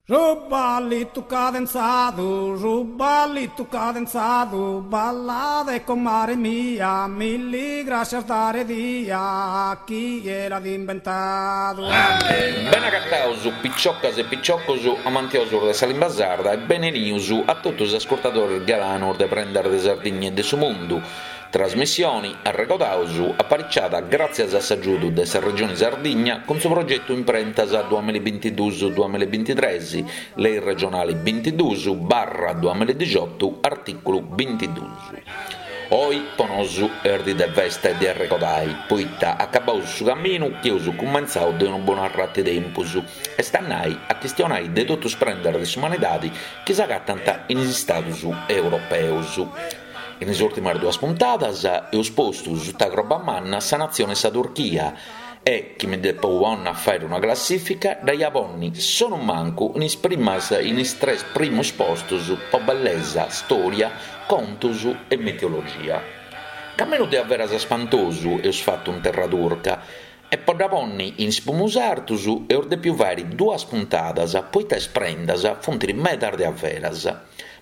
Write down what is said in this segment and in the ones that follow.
Su ballitu cadenzadu, su ballitu cadenzadu, ballade comare mia, milli grascias dare dia, chie l'at imbentadu. Bene agataus piciocas e piciocos amantiosos de sa limba sarda e bene 'enius a totu is ascurtadores galanos de Prendas de Sardigna e de su Mundu. Trasmissioni, arregodaus, apariciada gràtzias a s'agiudu de sa Regioni Sardigna cun su progetu Imprentas duamillabintiduus duamillabintitres, Lei regionali bintiduus barra duamilladixotu artìculu bintiduus. Oi po nosu est dì de festa e de arregodai, poita acabaus su caminu chi eus cumentzau de unu bonu arratu 'e tempus, est a nai a chistionai de totu is prendas de s'umanidadi chi s'agatant in is stadus europeus. In is ùrtimas duas puntadas eus postu suta croba manna sa natzione 'e sa Turchia e, chi mi depu ponni a fàere una classìfica, dda ia ponni sonumancu in is primas in is tres primus postus po bellesa, stòria, contus e mitologia. Caminu de averas spantosu eus fatu in terra turca e po dda ponni in is primus artus eus dèpiu fàere duas puntadas poita is prendas funt medas de averas.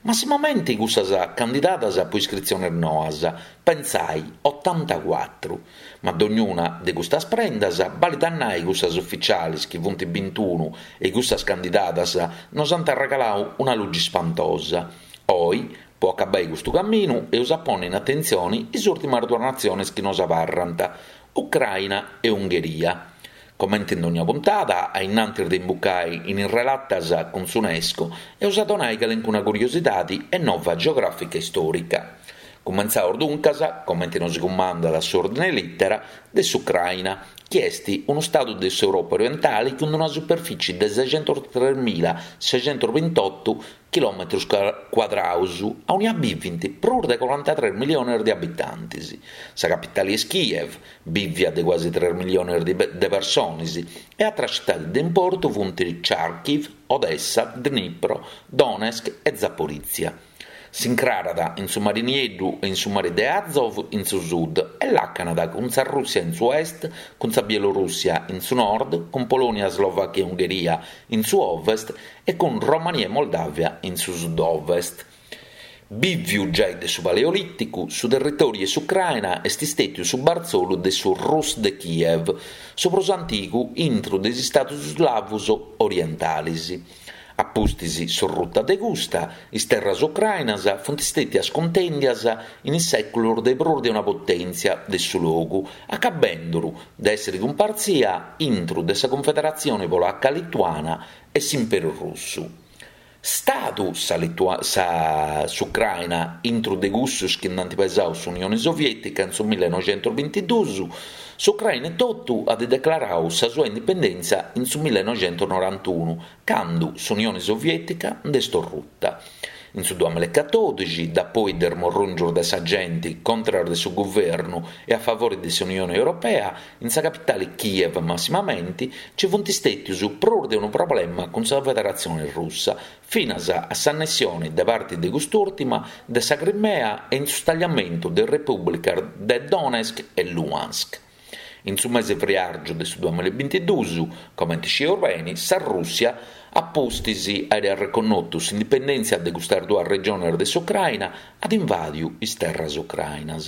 Massimamenti cussas candidadas po iscritziones noas, pentzai, otantacuatru. Ma dognuna de custas prendas, balit a nai cussas uficialis chi funt bintunu e cussas candidadas nos ant arregalau una lugi spantosa. Oi, po acabai custu caminu, eus a ponni in atentzioni is ùrtimas duas natziones chi nos abarrant, Ucraina e Ungheria. Comente in dogna puntada, a innantis de imbucai in is relatas cun s'Unesco, eus a donai calencuna curiosidadi e nova geogràfica e istòrica. Cumentzaus duncas, comente nosi cumandat s'òrdine 'e lìtera, de s'Ucraina, chi est unu stadu de s'Europa orientali cun una superfici de sexentostremila sexentosbintotu chilòmetrus cuadraus, aunia bivint prus de corantatres miliones de abitantis. Sa capitali est Kiev, bìvia de cuasi tres miliones de personis, e atras citadis de importu funt Charkiv, Odessa, Dnipro, Donetsk e Zaporizia. S'incrarat in su Mari Nieddu e in su Mari de Azov in su sud e làcanat cun sa Rùssia in su est, cun sa Bielorùssia in su nord, cun Polònia, Slovàchia e Ungheria in su ovest e cun Romania e Moldàvia in su sud-ovest. Bìviu giai de su Paleolìticu, su territòriu 'e s'Ucraina est istètiu su bartzolu de su Rus de Kiev, su prus antigu intru de is istados slavos orientales. A pustis s'orruta de custa, is terras ucrainas funt istètias cuntèndias in is sèculos de prus de una potèntzia de su logu, acabenduru de èssere cumpartzia intru de sa Cunfederatzione Polaca-Lituana e s'Imperu Russu. Stadu sa sa s'Ucraina intru de cussus chi nd'ant pesau s'Unione Sovietica in su millenoxentosbintiduus, s'Ucraina etotu at declarau sa sua indipendèntzia in su millenoxentosnorantunu, candu s'Unione Sovietica nd'est orruta. In su duamillecatòdixi, dapoi de is morrùngius de sa genti contras de su guvernu e a favori de s'Unioni Europea, in sa capitali Kiev massimamenti, nci funt stètius prus de unu problema cun sa Federatzione Russa, finas a s'annessioni de parti de cust'ùrtima de sa Crimea e in su stagliamentu de is repùblicas de Donetsk e Luhansk. In su mese friàrgiu de su duamillabintiduus, comente scieus beni, sa Rùssia, a pustis àere arreconnotu s'indipendèntzia de custas duas regiones de s'Ucraina, at invàdiu is terras ucrainas.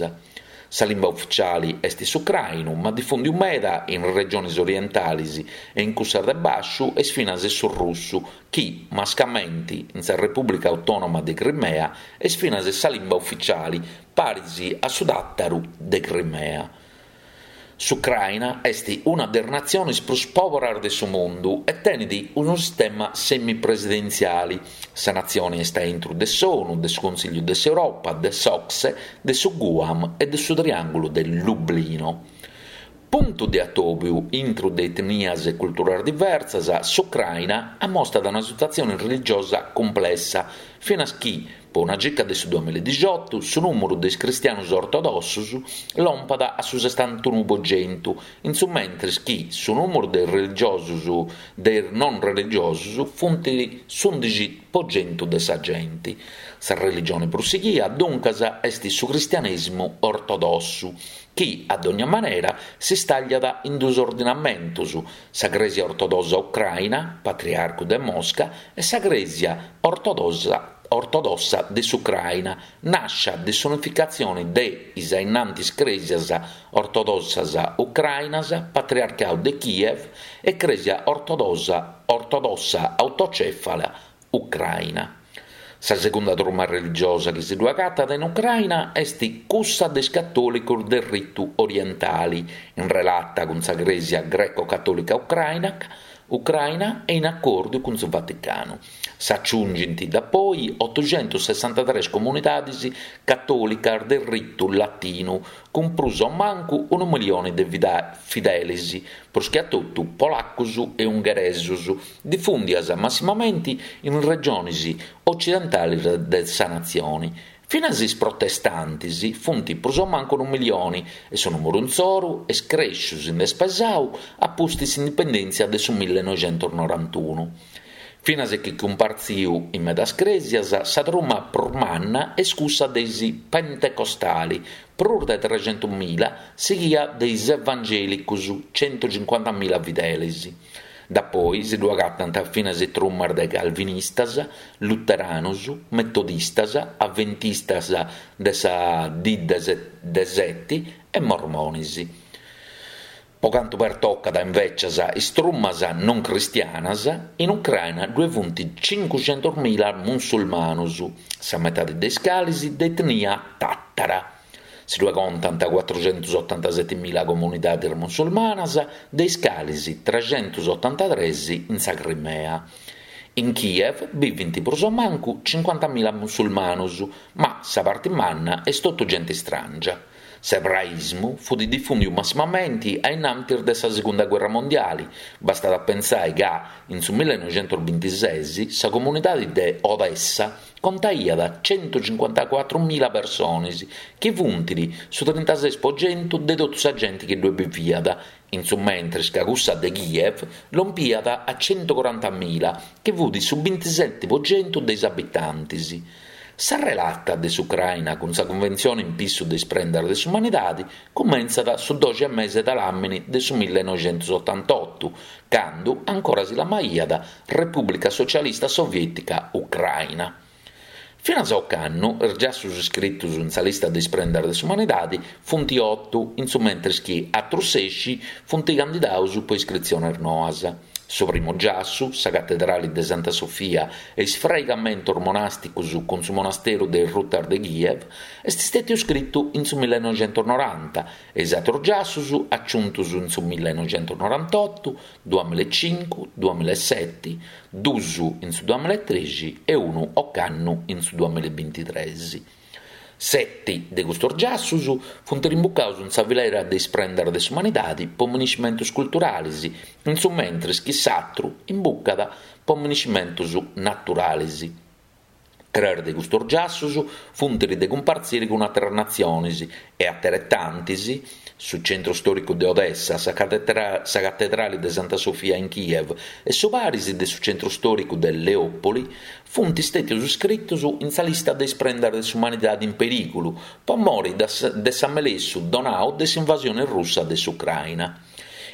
Sa limba uficiali est s'ucrainu, ma difùndiu meda in is regiones orientales e in cussas de bàsciu est finas su russu, chi, mascamenti in sa Repùblica Autònoma de Crimea, est finas sa limba uficiali, paris a su tàtaru de Crimea. S'Ucraina est una de is natziones prus pòberas de su mundu e tenet unu sistema semipresidentziale. Sa natzione est a intro de s'ONU, de su Consìgliu de s'Europa, de s'OCSE, de su GUAM e de su Triàngulu de Lublino. Puntu de atòbiu intro de etnias e culturas diversas, s'Ucraina ammostat una situatzione religiosa cumplessa, finas chi. Po una circa de su duamilla e dixiotu su nùmuru de is cristianus ortodossus lompat a su sessantunu po centu, in su mentris chi su nùmuru de is religiosus de is non religiosus funt s'undixi po centu de sa genti. Sa religioni prus sighia, duncas, est su cristianèsimu ortodossu, chi, a dogna manera, si stàgliat in duus ordinamentus, sa Crèsia Ortodossa Ucraina, Patriarcu de Mosca, e sa Crèsia Ortodossa Ortodossa de s'Ucraina, nàscia de s'unificatzioni de is ainnantis crèsias ortodossas ucrainas, Patriarcau de Kiev e Crèsia Ortodossa Ortodossa Autocèfala Ucraina. Sa segunda truma religiosa chi si ddu agatat in Ucraina est cussa de is catòlicos de ritu orientali, in relata cun sa Crèsia Greco-Catòlica Ucraina Ucraina e in acòrdiu cun su Vaticanu. S'aciungint dapoi otuxentussessantatres comunidadis catòlicas de ritu latinu, cun prus o mancu unu milioni de fidelis, prus che a totu polacus e ungheresus, difùndias massimamenti in is regionis ocidentalis de sa natzioni. Finas is protestantis funt prus o mancu unu milioni e su nùmuru insoru est crèsciu si nd'est pesau a pustis s'indipendèntzia de su millenoixentusnorantunu. Finas e chi cumpartziu in medas crèsias, sa truma prus manna est cussa de is pentecostali, prus de trexentumila, sighia de is evangèlicus, centucincuantamila fidelis. Dapoi si ddu agatant finas trumas de calvinistas, luteranus, metodistas, aventistas de sa dì de seti e mormonis. Po cantu pertocat invècias is trumas non cristianas, in Ucraina ddue funt cincuxentusmila musulmanus, sa metadi de is calis de etnia tàtara. Si ddue contant cuatruxentusotantasetimila comunidadis musulmanas, de is calis trexentusotantatres in sa Crimea. In Kiev bivint prus o mancu cincuantamila musulmanus, ma sa parti manna est totu genti stràngia. S'ebraismu fut difùndiu massimamenti a innantis de sa Segunda Guerra Mondiali, bastat a pentzai ca in su millenoixentusbintises sa comunidadi de Odessa contaiat centucincuantacuatrumila personis, chi funt su trintases po centu de totu sa genti chi ddue biviat, in su mentris ca cussa de Kiev lompiat a centucorantamila, chi fut su bintiseti po centu de is abitantis. Sa relata de s'Ucraina cun sa Cunventzione in pissu de is prendas de s'umanidadi cumentzat su doxi e mese de làmini de su millenoixentusotantotu, candu ancora si lamaiat Repùblica Socialista Soviètica Ucraina. Finas a ocannu is giassus iscritus in sa lista de is prendas de s'umanidadi funt otu, in su mentris chi atrus sexi funt candidaus po iscritziones noas. Su primu giassu, sa Catedrali de Santa Sofia e is fraigamentos monàsticos cun su monasteru de is Rutas de Kiev, est stètiu scritu in su millenoixentusnoranta e is atrus giassus aciuntus in su millenoixentusnorantotu, duamillaecincu, duamillaeseti, dus in su duamillaetrexi e unu ocannu in su duamillaebintitres. Seti de custos giassus funt rimbucaus in sa filera de is prendas de s'umanidadi po miniscimentus culturalis, in su mentris chi s'atru imbucat po miniscimentus naturalis. Tres de custos giassus funt de cumpartziri cun àteras natzionis e ateretantis, su centru stòricu de Odessa, sa catedrali de Santa Sofia in Kiev e su paris de su centru stòricu de Leòpoli, funt stètius scritus in sa lista de is prendas de s'umanidadi in perìgulu po mori de s'amelessu donau de s'invasioni russa de s'Ucraina.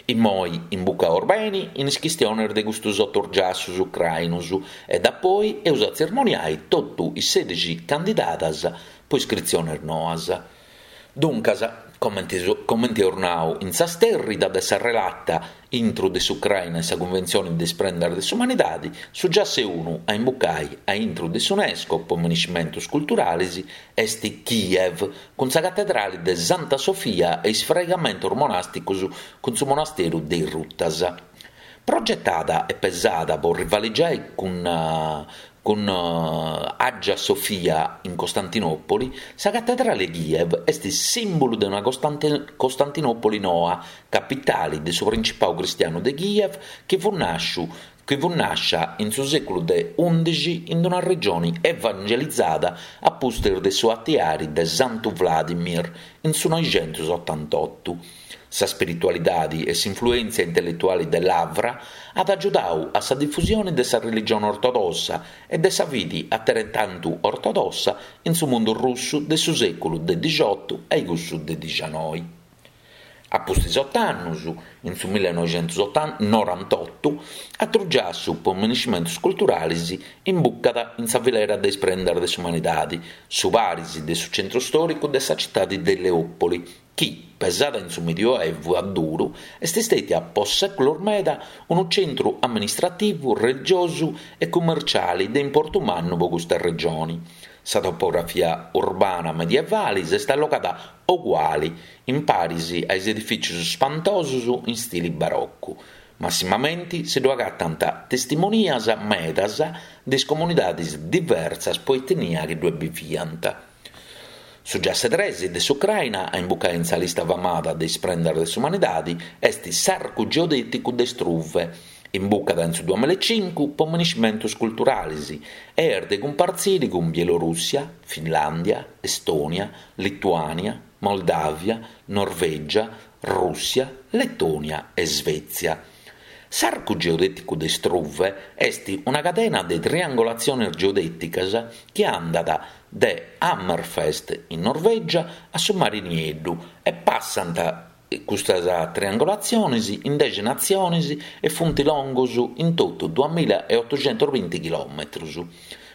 Immoi imbucaus beni in is chistionis de custus otu giassus ucrainus e dapoi eus a tzermoniai totu is sèdixi candidadas po iscritzionis noas. Duncas, comenti comenti eus nau in sa stèrrida de sa relata intru de s'Ucraina e sa Cunventzioni de is prendas de s'umanidadi, su giassu unu a imbucai a intru de s'Unesco po miniscimentus culturalis est Kiev, cun sa catedrali de Santa Sofia e is fraigamentus monàsticus cun su monasteru de is Rutas. Progetada e pesada po rivaligiai cun Cun Hagia Sofia in Costantinòpoli, sa catedrale 'e Kiev est sìmbulu de una Costantinòpoli noa, capitale de su principau cristianu de Kiev chi fut nàsciu chi fut nàscia in su sèculu de ùndixi in una regioni evangelizada a pustis de su atiari de Santu Vladimir in su noixentusotantotu. Sa spiritualidadi e s'influèntzia intelletuali de Lavra at agiudau a sa difusioni de sa religioni ortodossa e de sa fidi ateretantu ortodossa in su mundu russu de su sèculu de dixiotu a cussu de dixanoi. A pustis ot'annus, in su millenoixentusnorantotu, atru giassu po miniscimentus culturalis imbucat in sa filera de is prendas de s'umanidadi, su paris de su centru stòricu de sa citadi de Leòpoli, chi, pesada in su Medioevu a duru, est stètia po sèculos meda unu centru amministrativu, religiosu e cummerciali de importu mannu po custa regioni. Sa topografia urbana medievali s'est allogada oguali, in paris a is edifìtzius spantosus in stili barocu. Massimamenti si ddu agatant testimonias medas de is comunidadis diversas po etnia chi ddue biviant. Su giassu de tres de s'Ucraina a imbucai in sa lista famada de is prendas de s'umanidadi est s'Arcu Geodèticu de Struve, imbucada in su duamillaecincu po miniscimentus culturalis e est de cumpartziri cun Bielorùssia, Finlàndia, Estònia, Lituània, Moldàvia, Norvègia, Rùssia, Letònia e Svètzia. S'Arcu Geodèticu de Struve est una cadena de triangolatziones geodèticas chi andat de Hammerfest in Norvègia a su Mari Nieddu e passant custas triangolatziones in dexi natziones e funt longos in totu duamilla e otoxentosbinti chilòmetros.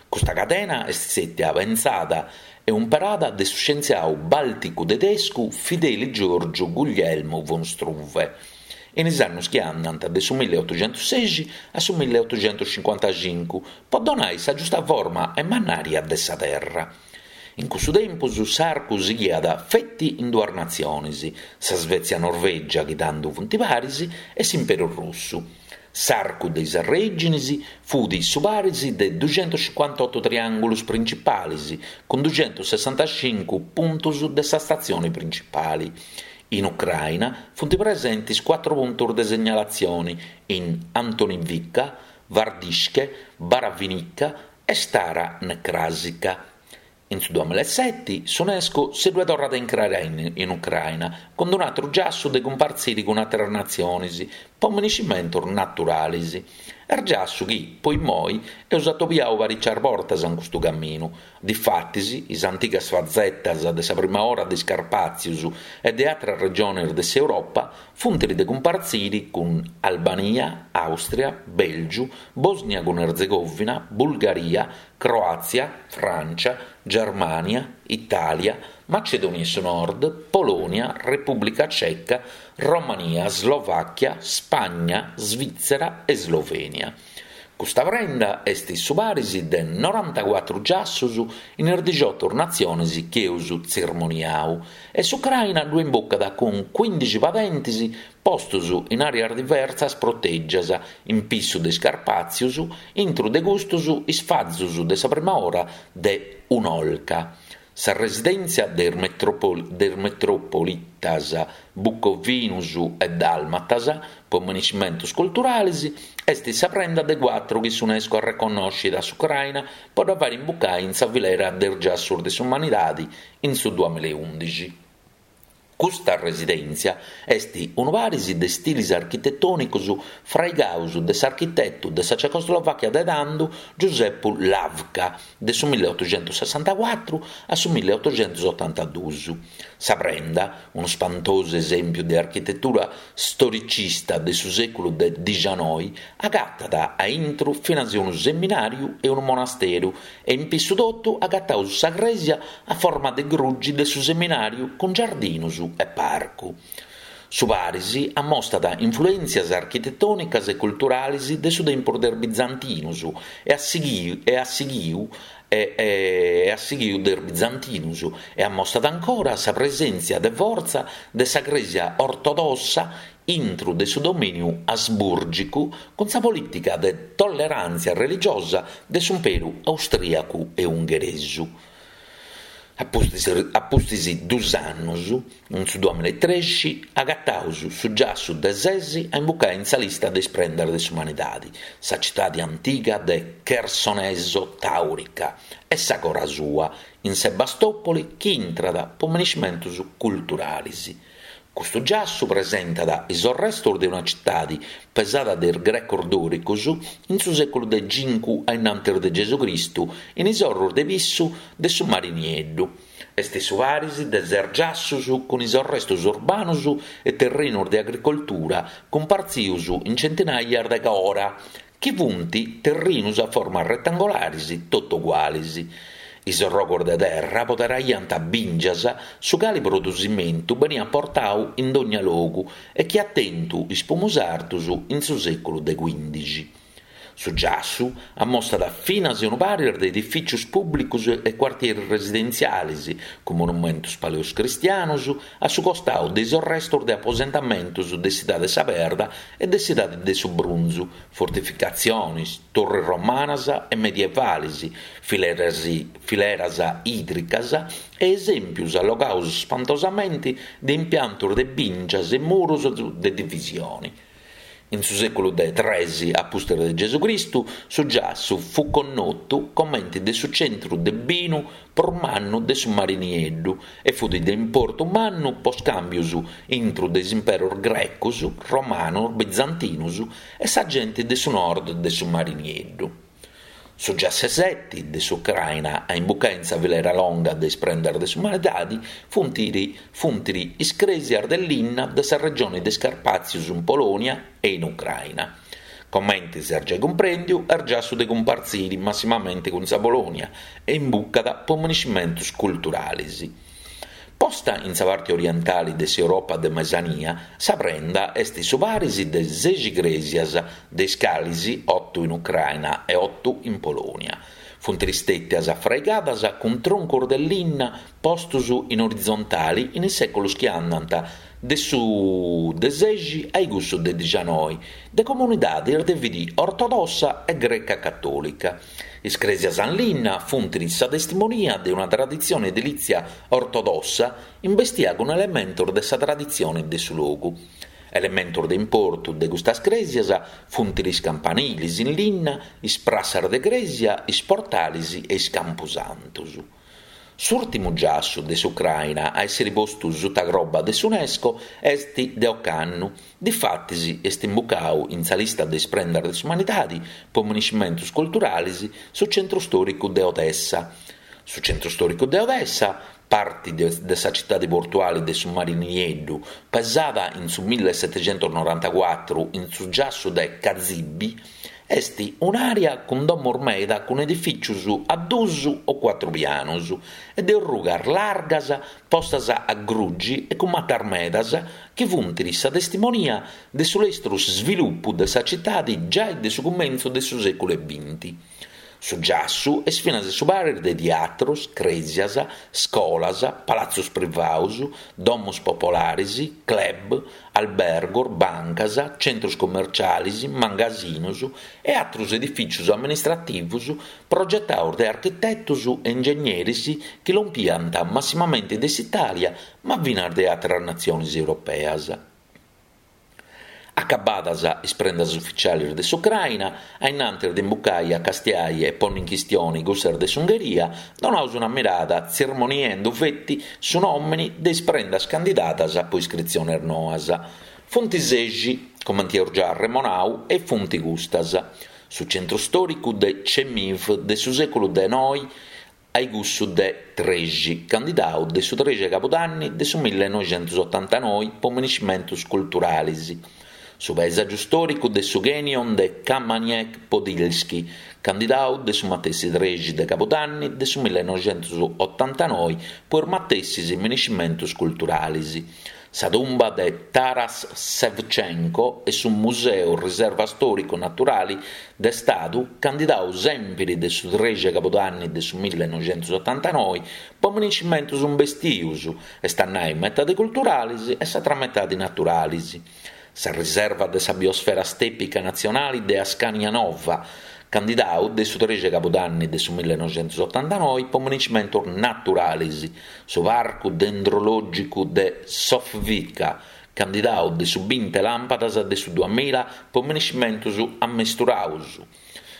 Custa cadena est stètia pentzada e umperada de su scientziau bàlticu-tedescu Fideli Giorgio Guglielmo von Struve. in is annus chi andant de su milliotoxentussexi a su milliotoxentuscincuantacincu, po donai sa giusta forma e mannària de sa terra. In cussu tempus s'arcu sighiat feti in duas natziones, sa Svezia-Norvègia chi tando funt paris e s'Imperu Russu. S'arcu de is arrèginis fut su paris de duxentuscincuantotu triàngulus principalis cun duxentussessantacincu puntus de sa statzioni principali. In Ucraina funt presentis cuatru puntus de segnalatzioni in Antonivka, Hvardiiske, Baravinika e Stara Nekrasivka. In su duamillaeseti s'Unesco si ddue torrat a incrarai in Ucraina cun un'atru giassu de cumpartziri cun àteras natzionis po miniscimentus naturalis. Est giassu chi, po immoi, eus atobiau paricias bortas in custu caminu, Difatis, is antigas fazetas de sa prima ora de is Carpàtzius e de àteras regiones de s'Europa funt de cumpartziri cun Albania, Àustria, Bèlgiu, Bòsnia cun Erzegòvina, Bulgaria, Croàtzia, Frància, Germània, Itàlia, Macedònia 'e su Nord, Polònia, Repùblica Ceca, Romania, Slovàchia, Spagna, Svìtzera e Slovènia. Custa prenda est su paris de norantacuatru giassus in is dixiotu natziones chi eus tzirmoniau e s'Ucraina ddu imbucat cun cuindixi padentis postus in àreas diversas protègias in pissu de is Carpàtzius, intru de custus is fazus de sa prima ora de Un'Olca. Sa residèntzia de is metropolitas bucovinus e dàlmatas po miniscimentus culturalis est sa prenda de cuatru chi s'Unesco arreconnoscit a s'Ucraina po dda fàiri imbucai in sa filera de is giassus de s'umanidadi in su duamillaeundixi. Custa residèntzia est unu paris de stilis architetònicos fraigados de s'architetu de sa Cecoslovàchia de tando Giusepu Hlávka de su milliotoxentussessantacuatru a su milliotoxentusotantaduus. Sa prenda, unu spantosu esèmpiu de architetura storicista de su sèculu de dixanoi, agatat a intru finas unu seminàriu e unu monasteru e in pissu totu agataus sa crèsia a forma de grugi de su seminàriu cun giardinus e parcu. Su paris ammostat influèntzias architetònicas e culturalis de su tempus de is bizantinus e a sighiu e a sighiu e a sighiu de is bizantinus e ammostat ancora sa presèntzia de fortza de sa crèsia ortodossa intru de su domìniu asbùrgicu cun sa polìtica de tolleràntzia religiosa de s'Imperu austrìacu e ungheresu. A pustis a pustis dus annus, in su duamilla e trexi, agataus su giassu de sesi a imbucai in sa lista de is prendas de s'umanidadi, sa citadi antiga de Chersoneso Taurica e sa cora sua, in Sebastopoli chi intrat po miniscimentus culturalis. Custu giassu presentat is orrestus de una citadi pesada de is grecos dòricus in su sèculu de cincu a innantis de Gesù Cristu in is orrus de pissu de su Mari Nieddu. Est su paris de ses giassus cun is orrestus urbanus e terrinus de agricoltura cumpartzius in centinaias de cora chi funt terrinus a forma retangolaris totu ugualis. Is orrogus de terra poderaiant bìngias, su cali produsimentu beniat portau in dogna logu e chi at tentu is pumus artus in su sèculu de cuindixi. Su giassu ammostat finas unu paris de edifìcius pùblicus e cuartieris residentzialis cun monumentus paleocristianus a su costau de is orrestus de aposentamentus de s'idade 'e sa perda e de s'idade de su brunzu, fortificatzionis, turris romanas e medievalis, fileras fileras ìdricas e esèmpius allogaus spantosamenti de impiantus de bìngias e murus de divisioni. In su sèculu de tres a pustis de Gesù Cristu su giassu fut connotu comenti de su centru de binu prus mannu de su Mari Nieddu e fut de importu mannu po scàmbius intru de is imperus grecus, romanus, bizantinus e sa genti de su nord de su Mari Nieddu. Su giasseseti de s'Ucraina a imbucai in sa filera longa de is prendas de s'umanidadi funt funt is crèsias de linna de sa regioni de is Carpàtzius in Polònia e in Ucraina. Comenti s'est giai cumprèndiu est giassu de cumpartziri massimamenti cun sa Polònia e imbucat po miniscimentus culturalis. Posta in sa parti orientali de s'Europa de Mesania, sa prenda est su paris de sexi crèsias, de is calis otu in Ucraina e otu in Polònia. Funt stètias fraigadas cun truncus de linna postus in orizontali in is sèculus chi andant de su de sexi a cussu de dixianoi, de comunidadis de fidi ortodossa e greca catòlica. Is crèsias in linna funt sa testimonia de una traditzione edilìtzia ortodossa imbestia cun elementos de sa traditzione de su logu. Elementos de importu de custas crèsias funt is campanilis in linna, is prassas de crèsia, is portales e is campusantos. S'ùrtimu giassu de s'Ucraina a èssere postu suta croba de s'Unesco est de ocannu, difatis est imbucadu in sa lista de is prendas de s'umanidade po miniscimentos culturales su centru stòricu de Odessa. Su centru stòricu de Odessa, parti de sa citade portuale de su Mari Nieddu, pesada in su millesetechentonorantacuatru in su giassu de Kazibi, Est un'àrea cun domos meda cun edifìtzios a duos o cuatru pianos e de orrugas largas postas a grugi e cun matas medas chi funt sa testimonia de su lestru svilupu de sa citade giai de su cumentzu de su sèculu 'e binti. Su giassu est finas su paris de tiatros, crèsias, scolas, palatzos privados, domos popolares, club, albergos, bancas, centros commerciales, mangasinos e àteros edifìtzios amministrativos progetados de architetos e ingegneris chi lompiant massimamente de s'Itàlia ma finas de àteras natziones europeas. Acabadas is prendas uficialis de s'Ucraina, a innantis de imbucai a castiai e ponni in chistioni cussas de s'Ungheria, donaus una mirada tzirmoniendu feti su nòmini de is prendas candidadas po iscritzionis noas. Funt sexi, comenti eus già arremonau, e funt custas, su centru stòricu de Chemiv de su sèculu de noi a cussu de trexi, candidau de su trexi 'e cabudanni de su millenoixentusotantanoi po miniscimentus culturalis, su paesàgiu stòricu de su Canyon de Kamaniec-Podilsky, candidau de su matessi trexi de cabudanni de su millenoixentusotantanoi po is matessis miniscimentus culturalis, Sa tumba de Taras Sevcenko e su Museu Riserva Stòricu Naturali de Stadu, candidau sèmpiri de su trexi 'e cabudanni de su millenoixentusotantanoi po miniscimentus imbestius, est a nai metadi culturalis e s'atra metadi naturalis. Sa Riserva de sa Biosfera Stèpica Natzionali de Ascania Nova, candidau de su trexi 'e cabudanni de su millenoixentusotantanoi po minescimentus naturalis, su Parcu Dendrològicu de Sofvica, candidau de su binti 'e làmpadas de su duamilla po minescimentus ammesturaus,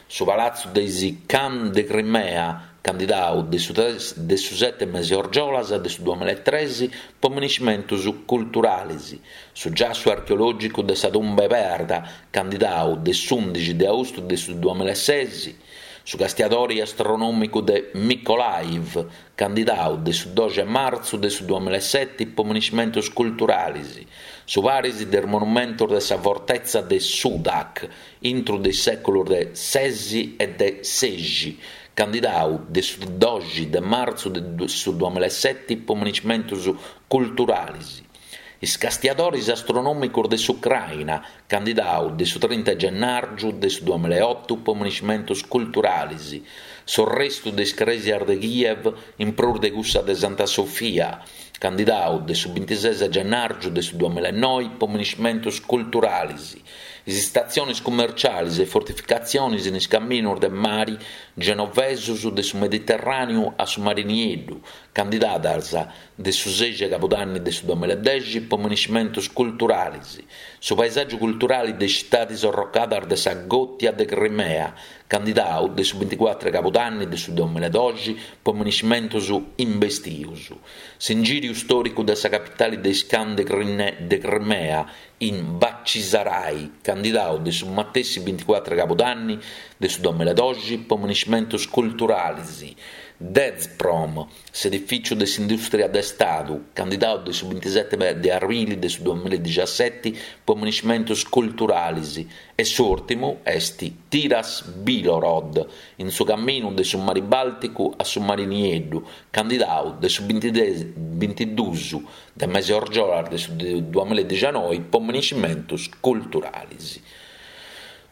su Palatzu de is Khan de Crimea, candidau de su de su seti mesi 'e orgiolas de su duamillaetresi po minescimentus culturalis, su giassu archeològicu de sa Tumba 'e Perda, candidau de s'ùndixi de austu de su duamillaesesi, su castiadori astronòmicu de Mykolaiv, candidau de su doxi 'e martzu de su duamillaeseti po minescimentus culturalis, su paris de is monumentus de sa fortetza de Sudak, intru de is sèculus de sesi e de sexi, candidau de su doxi de martzu de su duamillaeseti po minescimentus culturalis, is castiadoris astronòmicus de s'Ucraina, candidau de su trinta 'e gennàrgiu de su duamillaeotu po minescimentus culturalis, s'orrestu de is crèsias de Kiev in prus de cussa de Santa Sofia, candidau de su bintises 'e gennàrgiu de su duamillaenoi po minescimentus culturalis, is istatzionis cummercialis e fortificatzionis in is caminus de mari genovesus de su Mediterràneu a su Mari Nieddu, candidadas de su sexi 'e cabudanni de su duamillaedexi po minescimentus culturalis, su paesàgiu culturali de is citadis orrocadas de sa Gòtia de Crimea, candidau de su binticuatru 'e cabudanni de su duamillaedoxi po minescimentus imbestius, s'ingìriu stòricu de sa capitali de is Khan de Crimea in Bachcisarai, candidau de su matessi binticuatru 'e cabudanni de su duamillaedoxi po minescimentus culturalis, Dezprom, S'edifìciu de s'indùstria de Stadu, candidau de su bintiseti de abrili de su duamillaedixiaseti po minescimentus culturalis, e s'ùrtimu est Tiras Bilhorod, in su caminu de su Mari Bàlticu a su Mari Nieddu, candidau de su bintiduus de mesi 'e orgiolas de su duamillaedixianoi po minescimentus culturalis.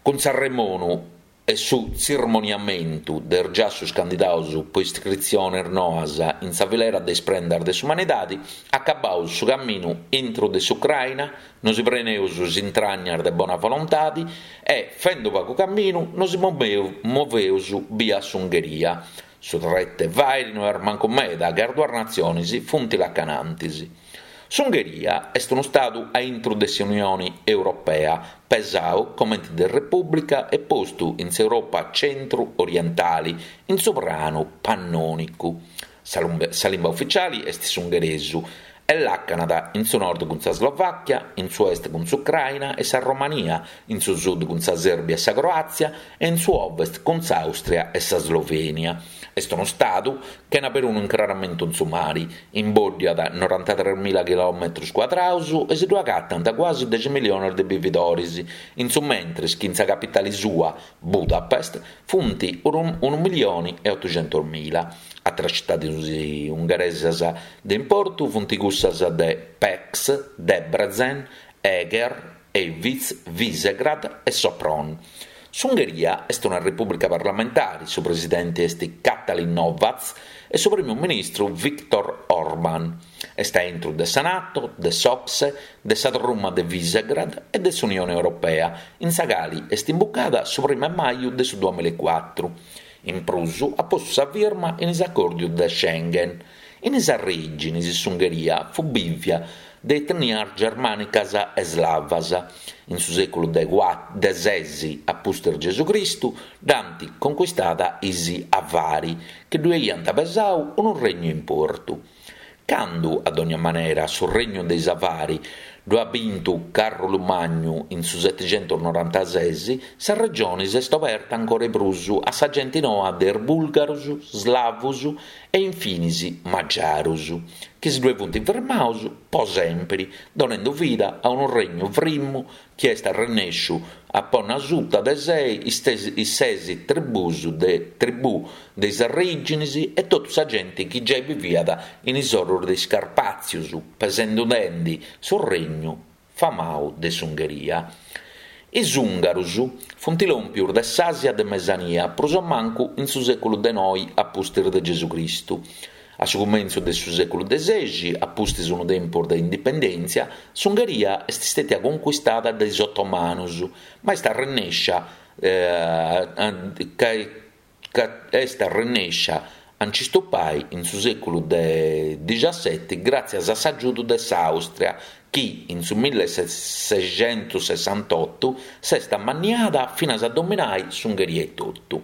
Cun s'arremonu e su tzirmoniamentu de is giassus candidaus po iscritzionis noas in sa filera de is prendas de s'umanidadi, acabaus su caminu intru de s'Ucraina, nosi preneus is intragnas de bona volontadi e, fendu pagu caminu, nosi moveus bia s'Ungheria. Su tretu 'e fàiri no est mancu meda ca is duas natzionis funt lacanantis. S'Ungheria est unu stadu a intru de s'Unioni Europea, pesau comenti de repùblica e postu in s'Europa centru-orientali, in su pranu pannònicu. Sa limba uficiali est s'ungheresu e làcanat in su nord cun sa Slovàchia, in su est cun s'Ucraina e sa Romania, in su sud cun sa Sèrbia e sa Croàtzia e in su ovest cun s'Àustria e sa Slovènia. Est unu stadu chena perunu incraramentu in su mari, imbòddiat norantatres mila chilòmetrus cuadraus e si ddu agatant cuasi dexi miliones de bividoris, in su mentris chi in sa capitali sua, Budapest, funt unu milioni e otuxentus mila. Àteras citadis ungheresas de importu funt cussas de Pécs, Debrecen, Eger, Hévíz, Visegrad e Sopron. S'Ungheria est una repùblica parlamentare, su presidente est Katalin Novák e su primu ministru Viktor Orbán. Est a intru de sa Nato, de s'Ocse, de sa truma de Visegrad e de s'Unione Europea, in sa cali est imbucada su primu 'e maju de su duamillaecuatru. In prus at postu sa firma in is acòrdios de Schengen. In is arrèginis s'Ungheria fut bìvia de etnias germànicas e slavas. In su sèculu de de ses a pustis Gesù Cristu dd'ant concuistada is Avari, chi ddu aiant pesau unu regnu 'e importu. Candu, a dogna manera, su regnu de is Avari ddu at bintu Càrrulu Magnu in su setixentusnorantases, sa regioni s'est oberta ancora 'e prus a sa genti noa de is bùlgarus, slavus e infinis magiarus, chi si ddue funt firmaus po sèmpiri, donendu vida a unu regnu frimu chi est arrennèsciu a ponni asuta de sei is ses tribùs de tribù de is arrèginis e totu sa genti chi giai biviat in is orus de is Carpàtzius, pesendudendi su regnu famau de s'Ungheria. Is ùngarus funt lòmpius de s'Àsia de Mesania prus o mancu in su sèculu de noi a pustis de Gesù Cristu. A su cumentzu de su sèculu de sexi, a pustis unu tempus de indipendèntzia, s'Ungheria est stètia concuistada de is otomanus, ma est arrennèscia. Ca est arrennèscia a nci stupai in su sèculu de dixaseti gràtzias a s'agiudu de s'Àustria chi in su millesexentussessantotu s'est ammanniada finas a dominai s'Ungheria etotu.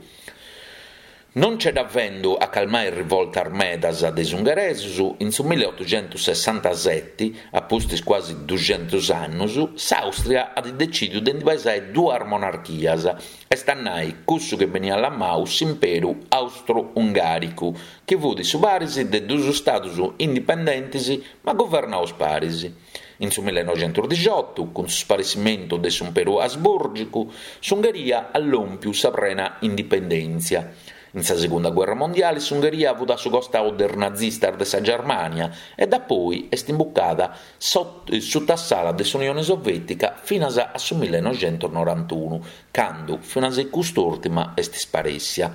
Non nce dda fendu a calmai is rivoltas medas de is ungheresus, in su milleotuxentussessantaseti, a pustis cuasi duxentus annus, s'Àustria at decìdiu de ndi pesai duas monarchias, est a nai cussu chi beniat lamau s'Imperu Austru-Ungàricu, chi fut su paris de dus stadus indipendentis ma guvernaus paris. In su millenoxentusdixotu, cun su sparessimentu de s'Imperu Asbùrgicu, s'Ungheria at lòmpiu sa prena indipendèntzia. In sa segunda guerra mondiali s'Ungheria fut a su costau de is nazistas de sa Germània e dapoi est imbucada suta s'ala de s'Unione Sovètica finas a su millenoxentusnorantunu, candu finas e cust'ùrtima est sparèssia.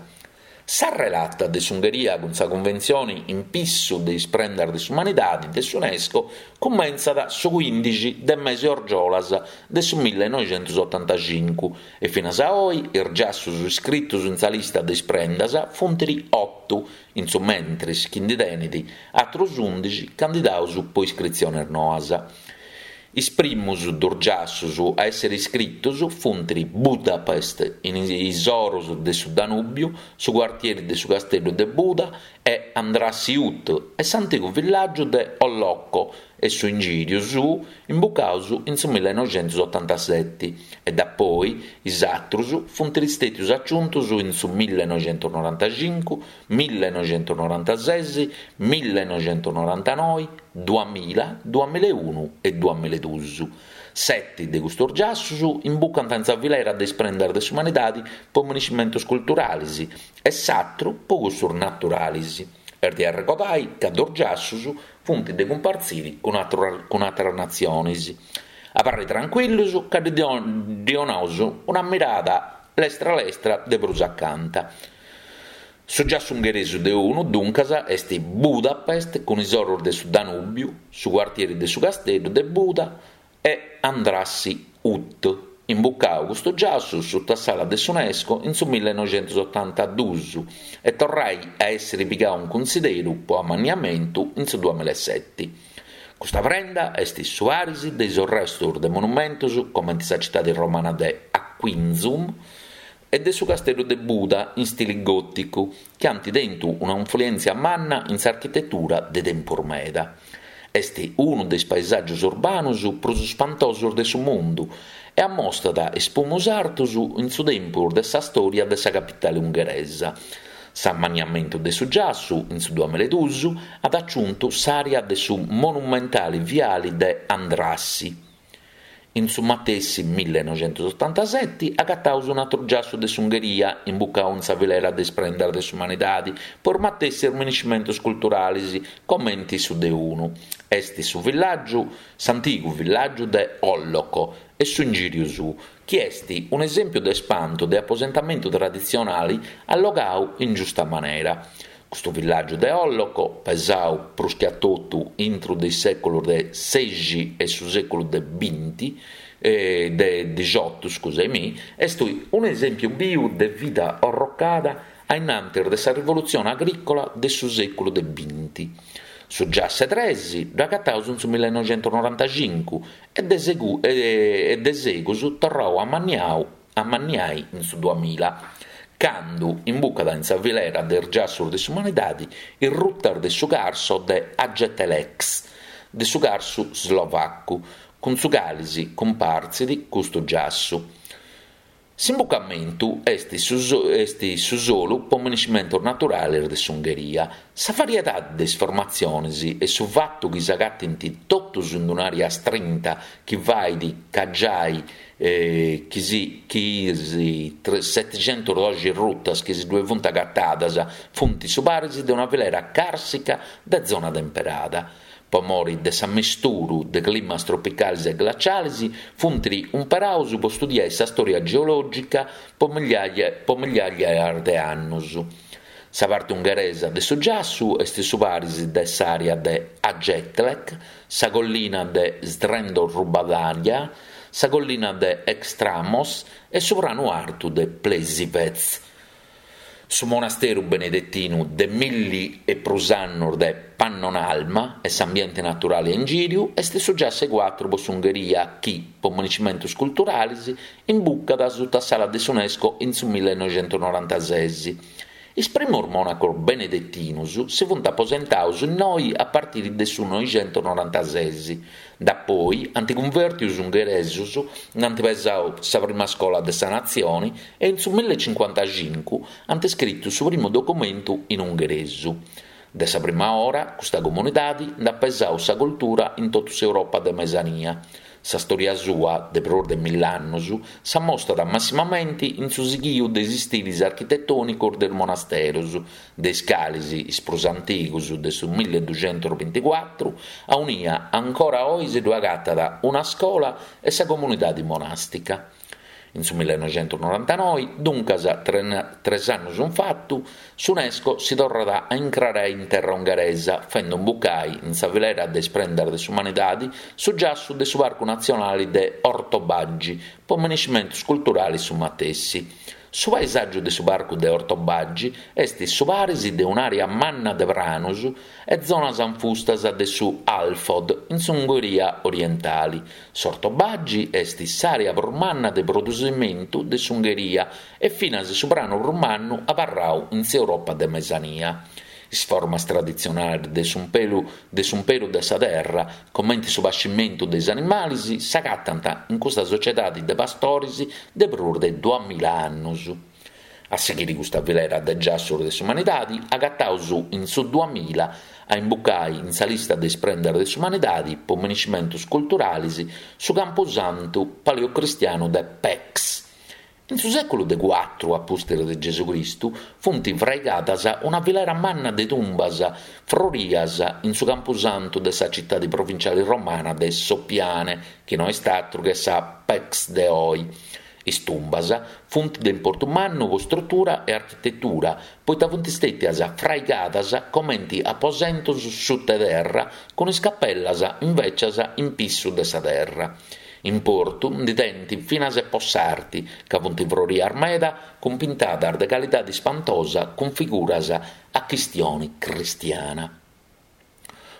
Sa relata de s'Ungheria cun sa Cunventzioni in pissu de is prendas de s'umanidadi de s'Unesco cumentzat su cuindixi de mesi orgiolas de su millenoixentusotantacincu e finas a oi is giassus iscritus in sa lista de is prendas funt otu, in su mentris chi ndi tenit atrus undixi candidaus po iscritzionis noas. Is primus dus giassus a èssere iscritos funt Budapest in is oros de su Danùbiu, su cuartieri de su Casteddu de Buda e Andrássy út e s'antigu villàgiu de Hollókő e su ingìriu suu imbucaus in su millenoixentusotantaseti e dapoi is atrus funt istètius aciuntus in su millenoixentunorantacincu, millenoixentunorantases, millenoixentunorantanoi, duamilla, duamillaeunu e duamillaedus. Seti de custos giassus imbucant in sa filera de is prendas de s'umanidadi po miniscimentus culturalis e s'atru po cussus naturalis. Est de arregodai ca dus giassus funt de cumpartziri cun ateras natzionis. Abarrai trancuillus ca ddi 'onaus una mirada lestra lestra de prus acanta. Su giassu ungheresu de unu, duncas, est Budapest cun is oros de su Danùbiu, su cuartieri de su Casteddu de Buda e Andrássy út, imbucau custu giassu suta s'ala de s'Unesco in su millenoixentusotantadus e torrai a èssiri pigau in cunsideru po amanniamentu in su duamillaeseti. Custa prenda est su paris de is orrestus de monumentus comenti sa citadi romana de Aquincum, e de su casteddu de Buda in stili gòticu, chi ant tentu una influèntzia manna in s'architetura de tempus meda. Est unu de is paesàgios urbanus prus spantosos de su mundu e ammostat is pumus artus in su tempus de sa stòria de sa capitale ungheresa. S'amanniamentu de su giassu, in su duamillaedus, at aciuntu s'àrea de su monumentale viali de Andrássy. In su matessi millenoixentusotantaseti agataus un'atru giassu de s'Ungheria imbucau in sa filera de is prendas de s'umanidadi po is matessis miniscimentus culturalis comenti su de unu. Est su villàgiu, s'antigu villàgiu de Hollókő e su ingìriu suu, chi est un'esèmpiu de spantu de aposentamentu traditzionali allogau in giusta manera. Custu villàgiu de Hollókő, pesau prus che a totu intru de is sèculus de sexi e su sèculu de binti, de dixotu, scusaimì, est un'esèmpiu biu de vida orrocada a innantis de sa rivolutzione agrìcola de su sèculu de binti. Su giass'e tres dd'agataus in su millenoixentunorantacincu e e de segus torrau amanniau amanniai in su duamilla, candu imbucat in sa filera de is giassus de s'umanidadi is rutas de su Carso de Aggtelek, de su Carsu slovacu, cun su cali si cumpartzit custu giassu. S'imbucamentu est su est su solu po miniscimentus naturalis de s'Ungheria. Sa variedadi de is formatzionis e su fatu chi s'agatint totus in un'àrea strinta chi fait ca giai chi si chi is setixentusdoxi rutas chi si ddue funt agatadas funt su paris de una filera càrsica de zona temperada. Po mori de s'ammisturu de climas tropicalis e glacialis funt umperaus po studiai sa stòria geològica po migliajas de annus. Sa parti ungheresa de su giassu est su paris de s'àrea de Aggtelek, sa collina de Srendorubágyá, sa collina de Extramos e su pranu artu de Plesivec. Su monasteru benedetinu de milli e prus annus de Pannonhalma e s'ambiente naturali a ingìriu est su giassu 'e cuatru po s'Ungheria chi, po monumentus culturalis, imbucat suta s'ala de s'Unesco in su millenoixentusnorantases. Is primus monacos benedetinus si funt aposentaus innoi a partiri de su noixentusnorantases. Dapoi ant cunvèrtiu is ungheresus, nd'ant pesau sa prima scola de sa natzioni e in su millecincuantacincu ant scritu su primu documentu in ungheresu. De sa prima ora custa comunidadi nd'at pesau sa cultura in totu s'Europa de Mesania. Sa stòria sua, de prus de mill'annus, s'ammostat massimamenti in su sighiu de is stilis architetònicos de is monasterus, de is calis is prus antigus de su milleduxentusbinticuatru, aunia ancora oi si ddu agatat una scola e sa comunidadi monàstica. In su millenoixentusnorantanoi, duncas tres annus in fatu, s'Unesco si torrat a incrarai in terra ungheresa, fendu imbucai in sa filera de is prendas de s'umanidadi su giassu de su Parcu Natzionali de Hortobágy, po miniscimentus culturalis su matessi. Su paesàgiu de su Parcu de Hortobágy est su paris de un'àrea manna de pranus e zonas anfustas de su Alföld in s'Ungheria orientali. S'Hortobágy est s'àrea prus manna de produsimentu de s'Ungheria e finas su pranu prus mannu abarrau in s'Europa de Mesania. Is formas traditzionalis de de s'umperu de sa terra, comente su pascimentu de is animalis, s'agatant in custa sociedadi de pastoris de prus de duamilla annus. A sighiri custa filera de giassus de s'umanidadi agataus in su duamilla a imbucai in sa lista de is prendas de s'umanidadi po miniscimentus culturalis su campusantu paleocristianu de Pécs. In su sèculu de cuatru a pustis de Gesucristu funt fraigadas una filera manna de tumbas frorias in su campusantu de sa citadi provinciali romana de Sopianae, chi no est atru che sa Pécs de oi. Is tumbas funt de importu mannu po strutura e architetura, poita funt stètias fraigadas comenti aposentos suta terra cun is capellas invècias in pissu de sa terra. Importu ndi tenint finas e po s'arti, ca funt frorias meda cun pintadas de calidadi spantosa cun figuras a chistioni cristiana.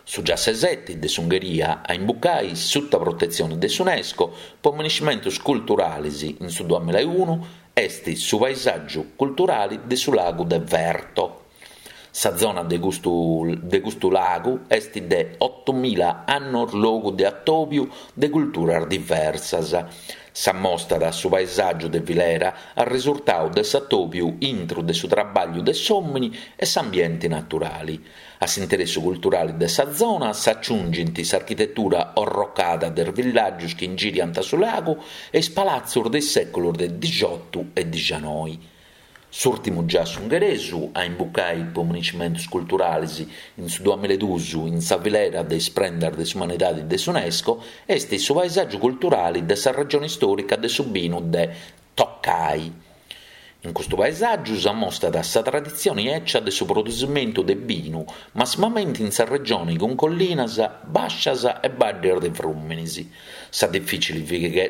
Su giassu 'e seti de s'Ungheria a imbucai suta protetzioni de s'Unesco po miniscimentus culturalis in su duamillaeunu est su paesàgiu culturali de su lagu de Fertő. Sa zona de custu de custu lagu est de otomila annos logu de atòbiu de culturas diversas. S'ammostat su paesàgiu de filera arresurtau de s'atòbiu intru de su trabàgliu de s'òmini e s'ambienti naturali. A s'interessu culturali de sa zona s'aciungint s'architetura orrocada de is villàgius chi ingiriant su lagu e is palatzus de is sèculus de dixiotu e dixanoi. S'ùrtimu giassu ungheresu a imbucai po miniscimentus culturalis in su duamillaeduus in sa filera de is prendas de s'umanidadi de s'Unesco est su paesàgiu culturali de sa regioni istòrica de su binu de Tokaj. In custu paesàgiu s'ammostat sa traditzioni 'ècia de su produsimentu de binu, massimamenti in sa regioni cun collinas bàscias e baddes de frùminis. Sa difìcili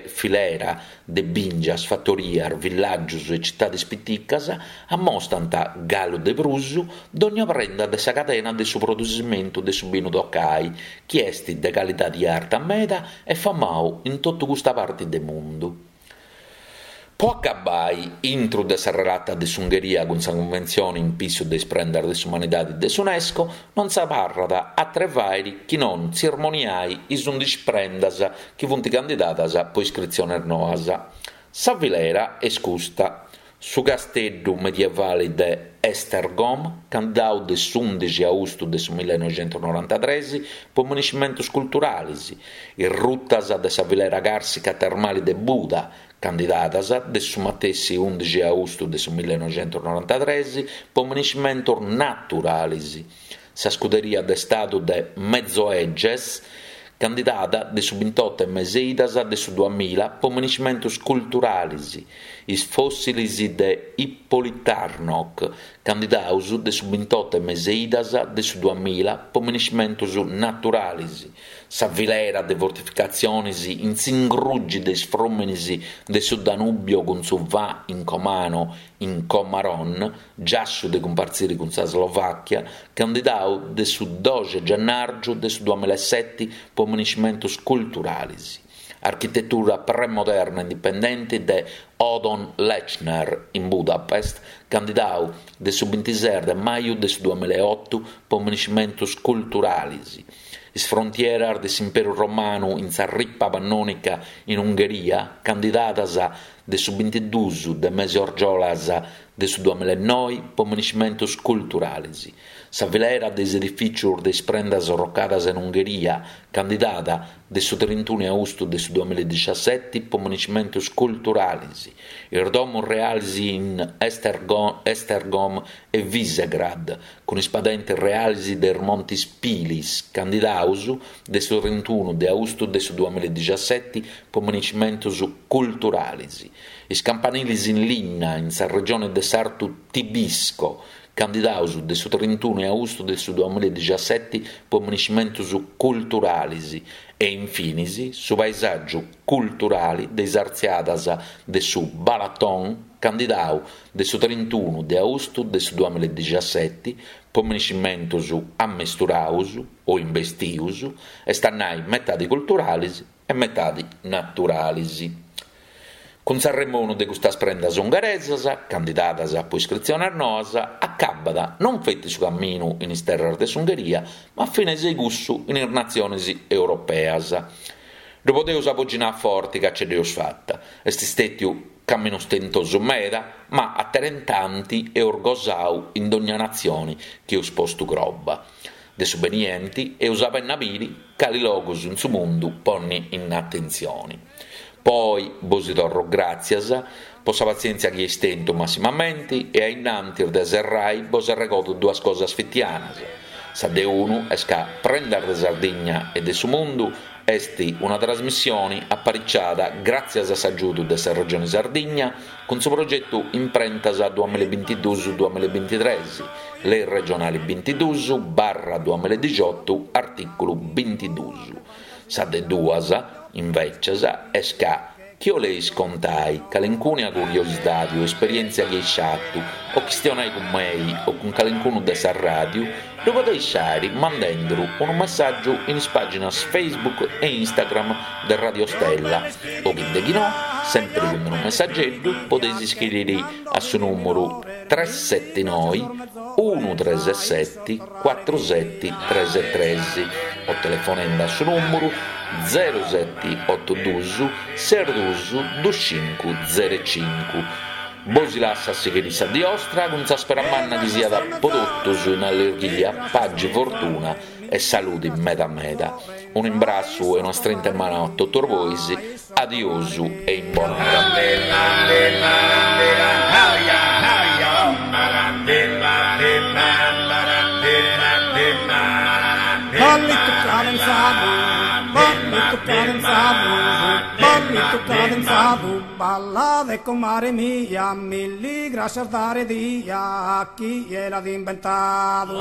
filera de bìngias, fatorias, villàgios e citades piticas ammostant, galu de prus, dogna prenda de sa cadena de su produsimentu de su binu Tokaj, chi est de calidadi arta meda e famau in totu custa parti de mundu. Po acabbai, intru de sa relata de s'Ungheria cun sa Cunventzioni in pissu de is prendas de s'umanidadi de s'Unesco, non s'abarrat atre fàiri chi non tzirmoniai is undixi prendas chi funt candidadas po iscritziones noas. Sa filera est custa. Su casteddu medievali de Esztergom, candidau de s'ùndixi austu de su millenoixentusnorantatres po miniscimentus culturalis, is rutas de sa filera càrsica termali de Buda, candidadas de su matessi ùndixi austu de su millenoixentusnorantatres po miniscimentus naturalis, sa scuderia de stadu de Mezőhegyes, candidada de su bintoto 'e mes'e idas de su duamilla po miniscimentus culturalis, is fòssilis de Ippolitárnok, candidaus de su bintoto 'e mes'e idas de su duamilla po miniscimentus naturalis, sa filera de fortificatzionis in s'ingruggi de is frùminis de su Danubio cun su Vah in Comano in Komárom, giassu de cumpartziri cun sa Slovàchia, candidau de su doxi 'e gennàrgiu de su duamillaeseti po miniscimentus culturalis. Architetura premoderna indipendenti de Ödön Lechner in Budapest, candidau de su bintises de maju de su duamillaeotu po miniscimentus culturalis. Is frontieras de s'Imperu Romanu in sa Ripa Pannònica in Ungheria, candidadas de su bintiduus de mes'e orgiolas de su duamillaenoi po miniscimentus culturalis. Sa filera de is edifìcius de is prendas orrocadas in Ungheria, candidada de su trintunu 'e austu de su duamillaedixaseti po miniscimentus culturalis, is domus realis in Esztergom e Visegrad, cun is padentis realis de is Montis Pilis, candidaus de su trintunu de austu de su duamillaedixaseti po miniscimentus culturalis, is campanilis in linna in sa regione de s'Artu Tibisco, candidaus de su trintunu 'e austu de su duamillaedixaseti po miniscimentus culturalis e, infinis, su paesàgiu culturali de is artziadas de su Balaton, candidau de su trintunu de austu de su duamillaedixaseti po miniscimentus ammesturaus o imbestius, est a nai metadi culturalis e metadi naturalis. Cun s'arremonu de custas prendas ungheresas, candidadas po iscritziones noas, acabat non feti su caminu in is terras de s'Ungheria, ma finas cussu in is natziones europeas. Ddu podeus aboginai a forti ca ce dd'eus fata. Est stètiu caminu stentosu meda, ma aterentanti eus gosau in dogna natzioni chi eus postu croba. De su benienti eus a benni a biri cali logus in su mundu ponni in atentzioni. Po oi bosi torro gràtzias po sa patzièntzia chi eis tentu massimamenti e a innantis de serrai bos arregodu duas cosas fitianas. Sa de unu est ca Prendas de Sardigna e de su Mundu est una trasmissioni apariciada gràtzias a s'agiudu de sa Regioni Sardigna cun su progetu Imprentas duamillabintiduus duamillabintitres, Lei regionali bintiduus barra duamilladixotu artìculu bintiduus. Sa de duas, invècias, est ca, chi 'oleis contai calencuna curiosidadi o esperièntzia chi eis fatu o chistionai cun mei o cun calencunu de sa ràdiu, ddu podeis fàiri mandenduru unu messàgiu in is pàginas Facebook e Instagram de Radio Stella o chi de chi no, sèmpiri cun unu messageddu, podeis iscriri a su nùmuru tres seti noi unu tres seti cuatru seti tres tres o telefonendi a su nùmuru zeru seti otu dus ses dus dus cincu zeru cincu. Bosi lassu a sighiri sa dì 'ostra cun sa spera manna chi siat po totus in allirghia, pagi, fortuna e saludi meda meda. Unu imbrassu e una strinta 'e manu a totus bois, adiosu e in bonora. Ballitu cadenzadu, ballitu cadenzadu, ballitu cadenzadu, ballade comare mia, milli grascias dare dia a chie l'at imbentadu.